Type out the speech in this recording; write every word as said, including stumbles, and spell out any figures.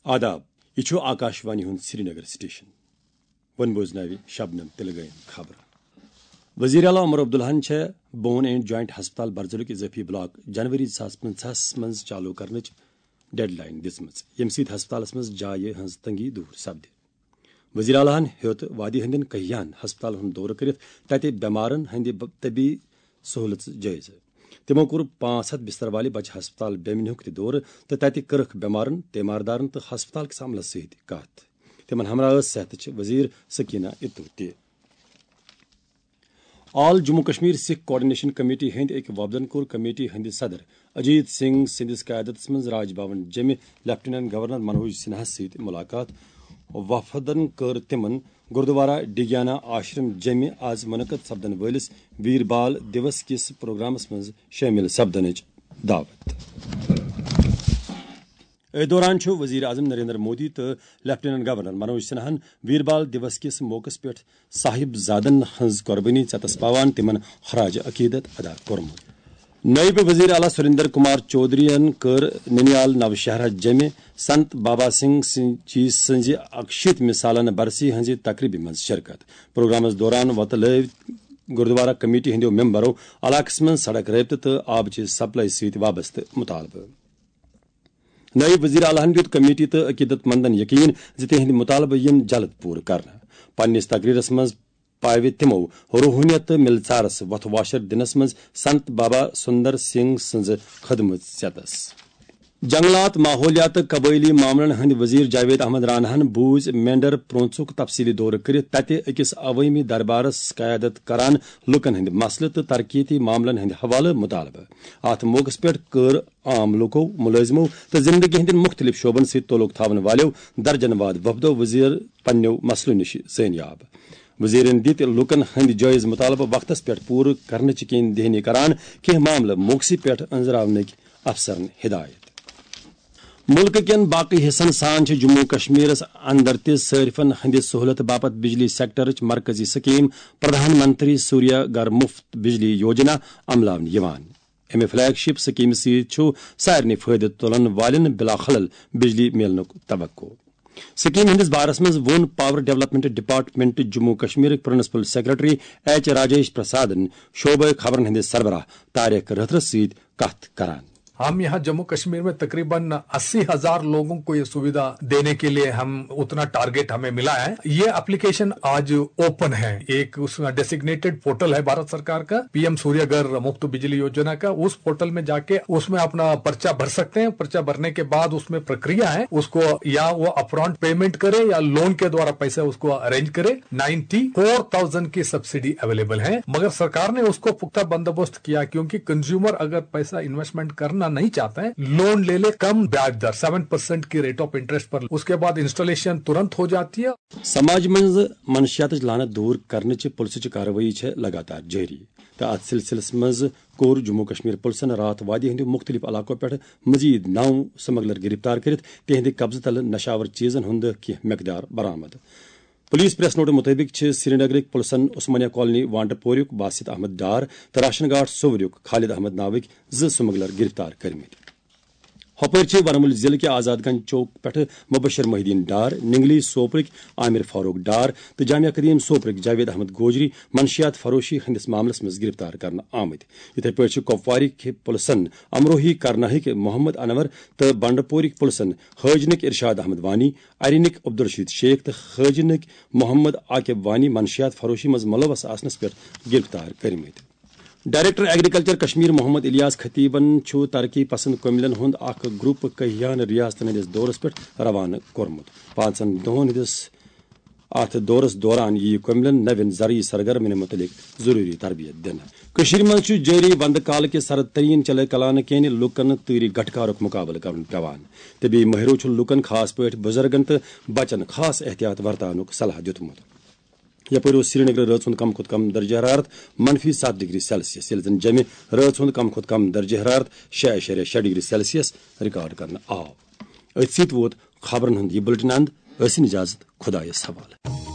آداب، یہِ چھُ آکاش وانی ہُنٛد سرینگر سٹیشن۔ وۄنۍ بوزناوِ شبنم تلگٲیِن خبرٕ۔ وزیر اعلیٰ عمر عبداللہن چھےٚ بون اینڈ جوائنٹ ہسپتال برزُلُک اضٲفی بلاک جنوری زٕ ساس پنٛژاہس منٛز چالو کرنٕچ ڈیڈ لائن دِژمٕژ، ییٚمہِ سۭتۍ ہسپتالس منٛز جایہِ ہٕنٛز تنگی دوٗر سپدِ۔ وزیر اعلیٰ ہن ہیوٚت وادی ہٕنٛدٮ۪ن کہیاہن ہسپتالن ہُنٛد دورٕ کٔرِتھ تتہِ بٮ۪مارن ہٕنٛدِ ب-، طبی سہولژ جٲیزٕ۔ تِمو کوٚر پانٛژھ ہتھ بستر والہِ بچہِ ہسپتال بیمنیُک تہِ دورٕ تہٕ تتہِ کٔرٕکھ بٮ۪مارن، تیماردارن تہٕ ہسپتال کِس عملس سۭتۍ کتھ۔ تِمن ہمراہ ٲس صحتٕچ وزیر سکینہ اتو تہِ۔ آل جموں کشمیر سکھ کوآرڈینیشن کمیٹی ہٕنٛدۍ أکۍ وفدن کوٚر کمیٹی ہٕنٛدِ صدر اجیت سنگھ سٕنٛدِس قیادتس منٛز راج بھون جمہِ لیفٹیننٹ گورنر منوج سنہاہس سۭتۍ ملاقات۔ وفدن کٔر تِمن گردوارہ ڈگیانہ آشرم جمہِ آز منعقد سپدن وٲلِس ویر بال دیوس کِس پروگرامس منٛز شٲمِل سپدنٕچ دعوت۔ أتھۍ دوران چھُ وزیر اعظم نریندر مودی تہٕ لیفٹیننٹ گورنر منوج سنہاہن ویر بال دیوس کِس موقعس پٮ۪ٹھ صاحب زادن ہٕنٛز قربٲنی ژیتس پاوان تِمن خراج عقیدت ادا کوٚرمُت۔ نٲیِب وزیر اعلیٰ سریندر کمار چودھرین کٔر ننیال نوشہرہ جمہِ سنت بابا سنگھ سنگھ جی سٕنٛزِ اکشیٖتمہِ سالانہٕ برسی ہٕنٛزِ تقریبہِ منٛز شرکت۔ پروگرامس دوران وۄتلٲوۍ گردوارہ کمیٹی ہٕنٛدیو ممبرو علاقس منٛز سڑک رٲبطہٕ تہٕ آبٕچہِ سپلائی سۭتۍ وابستہٕ مطالبہٕ۔ نٲیِب وزیر اعلیٰ ہن دیُت کمیٹی تہٕ عقیدت مندن یقین زِ تِہنٛدۍ مطالبہٕ یِن جلد پوٗرٕ کرنہٕ۔ پننِس تقریرس منٛز پاوِ تِمو روحٲنیت تہٕ مِلژارس وۄتھٕ واشر دِنس منٛز سنت بابا سُندر سنگھ سٕنٛزٕ خدمت ژیتس۔ جنگلات، ماحولیات تہٕ قبٲئلی معاملن ہٕنٛدۍ وزیر جاوید احمد راناہن بوٗز مینڈر پرونسُک تفصیلی دورٕ کٔرِتھ تتہِ أکِس عوٲمی دربارس قیادت کران لوٗکن ہٕنٛدۍ مسلہٕ تہٕ ترقیتی معاملن ہٕنٛدۍ حوالہٕ مطالبہٕ۔ اتھ موقعس پٮ۪ٹھ کٔر عام لوٗکو، مُلٲزمو تہٕ زندگی ہٕنٛدٮ۪ن مُختٔلِف شعبن سۭتۍ تعلق تھاون والٮ۪و درجن واد وفدو وزیر پننٮ۪و مسلو نِش زٲنیاب۔ وزیرن دِتۍ لوٗکن ہٕنٛدۍ جٲیز مطالبہٕ وقتس پٮ۪ٹھ پوٗرٕ کرنٕچ یقین دہانی کران کینٛہہ معاملہٕ موقعسٕے پٮ۪ٹھ أنٛزراونٕکۍ افسرن ہدایت۔ مُلکہٕ کٮ۪ن باقٕے حصن سان چھِ جموں و کشمیرس اندر تہِ صٲرفن ہٕنٛدِ سہولت باپتھ بجلی سیکٹرٕچ مرکزی سکیٖم پردھان منتری سوریہ گھر مفت بجلی یوجنا عملاونہٕ یِوان۔ امہِ فلیگ شپ سکیمہِ سۭتۍ چھُ سارنٕے فٲیدٕ تُلن والٮ۪ن بلا خلل بجلی میلنُک توقع۔ سکیمہِ ہٕنٛدِس بارس منٛز ووٚن پاور ڈیولپمنٹ ڈپارٹمنٹ جموں و کشمیرٕکۍ پرنسپل سیکرٹری ایچ راجیش پرسادن شعبہٕ خبرن ہٕنٛدِس سربراہ طارق رٲتھرس سۭتۍ کتھ کران۔ ہم یہاں جموں کشمیر میں تقریباً اسی ہزار لوگوں کو یہ سویدھا دینے کے لیے ہم اتنا ٹارگٹ ہمیں ملا ہے۔ یہ اپلیکیشن آج اوپن ہے، ایک اس ڈیسیگنیٹڈ پورٹل ہے بھارت سرکار کا، پی ایم سوریہ گھر مفت بجلی یوجنا کا۔ اس پورٹل میں جاکے اس میں اپنا پرچہ بھر سکتے ہیں۔ پرچہ بھرنے کے بعد اس میں پرکریا ہے، اس کو یا وہ اپرانٹ پیمنٹ کرے یا لون کے دوارا پیسے اس کو ارینج کرے۔ نائنٹی فور تھاؤزینڈ کی سبسڈی اویلیبل ہے، مگر سرکار نے اس کو پختہ بندوبست کیا، کیونکہ کنزیومر اگر پیسہ انویسٹمنٹ کرنا نہیں چاہتا ہے، لون لے لے کم بیاج در سیون پرسینٹ کی ریٹ آف انٹرسٹ پر، اس کے بعد انسٹالیشن ترنت ہو جاتی ہے۔ سماج منٛز منشیاتٕچ لعنت دوٗر کرنٕچہِ پُلسٕچہِ کاروٲیی چھےٚ لگاتار جٲری، تہٕ اتھ سلسلس منٛز کوٚر جموں کشمیر پُلسن راتھ وادی ہٕنٛدیو مُختٔلِف علاقو پٮ۪ٹھ مزید نو سمگلر گرفتار کٔرِتھ تِہنٛدِ قبضہٕ تلہٕ نشاور چیزن ہُنٛد کینٛہہ مقدار برآمد۔ پولیس پریس نوٹہٕ مُطٲبِق چھِ سرینگرٕکۍ پُلسن عثمانیہ کالونی وانٹہٕ پوریُک باسط احمد ڈار تہٕ راشن گاٹ صووریُک خالد احمد ناوٕکۍ زٕ سمگلر گرفتار کٔرمٕتۍ۔ ہۄپٲرۍ چھِ ورمُلۍ ضلعہٕ کہِ آزاد گنج چوک پٮ۪ٹھٕ مبشر محی الدین ڈار، ننگلی سوپرٕکۍ عامر فاروق ڈار تہٕ جامعہ قدیم سوپرٕکۍ جاوید احمد گوجری منشیات فروشی ہٕنٛدِس معاملس منٛز گرفتار کرنہٕ آمٕتۍ۔ یِتھے پٲٹھۍ چھِ کۄپوارٕکۍ پُلسن امروہی کرناہٕکۍ محمد انور تہٕ بنڈٕ پورٕکۍ پُلسن حٲجنٕکۍ ارشاد احمد وانی، ارینٕکۍ عبدالرشید شیخ تہٕ حٲجنٕکۍ محمد عاقب وانی منشیات فروشی منٛز ملوث آسنس پٮ۪ٹھ گرفتار کٔرمٕتۍ۔ ڈائریکٹر ایگریکلچر کشمیر محمد الیاس خطیبن چھُ ترقی پسند کٔمِلین ہُنٛد اکھ گروپ کہیان ریاستن ہٕنٛدِس دورس پٮ۪ٹھ روانہٕ کوٚرمُت۔ پانٛژن دۄہن ہٕنٛدِس اتھ دورس دوران یِیہِ کٔمِلین نوٮ۪ن زرعی سرگرمین مُتعلق ضروری تربیت دِنہٕ۔ کٔشیٖرِ منٛز چھُ جٲری وندٕ کالہٕ کہِ سرد ترین چلے کلانہٕ کِنۍ لوٗکن تۭرِ گٹہٕ کارُک مُقابلہٕ کرُن پٮ۪وان۔ طبی مٲہرو چھُ لوٗکن، خاص پٲٹھۍ بُزرگن تہٕ بچن، خاص احتیاط ورتاونُک صلاح دِیُتمُت۔ یپٲرۍ اوس سرینگرٕ رٲژ ہُنٛد کم کھۄتہٕ کم درجہ حرارت منفی ستھ ڈگری سیلسیس، ییٚلہِ زن جیٚمہِ رٲژ ہُنٛد کم کھۄتہٕ کم درجہ حرارت شےٚ اعشاریہ شےٚ ڈگری سیلسیس ریکارڈ کرنہٕ آو۔ أتھۍ سۭتۍ ووت خبرن ہُنٛد یہِ بُلٹن اند۔ ٲسِن اجازت، خۄدایس حوالہٕ۔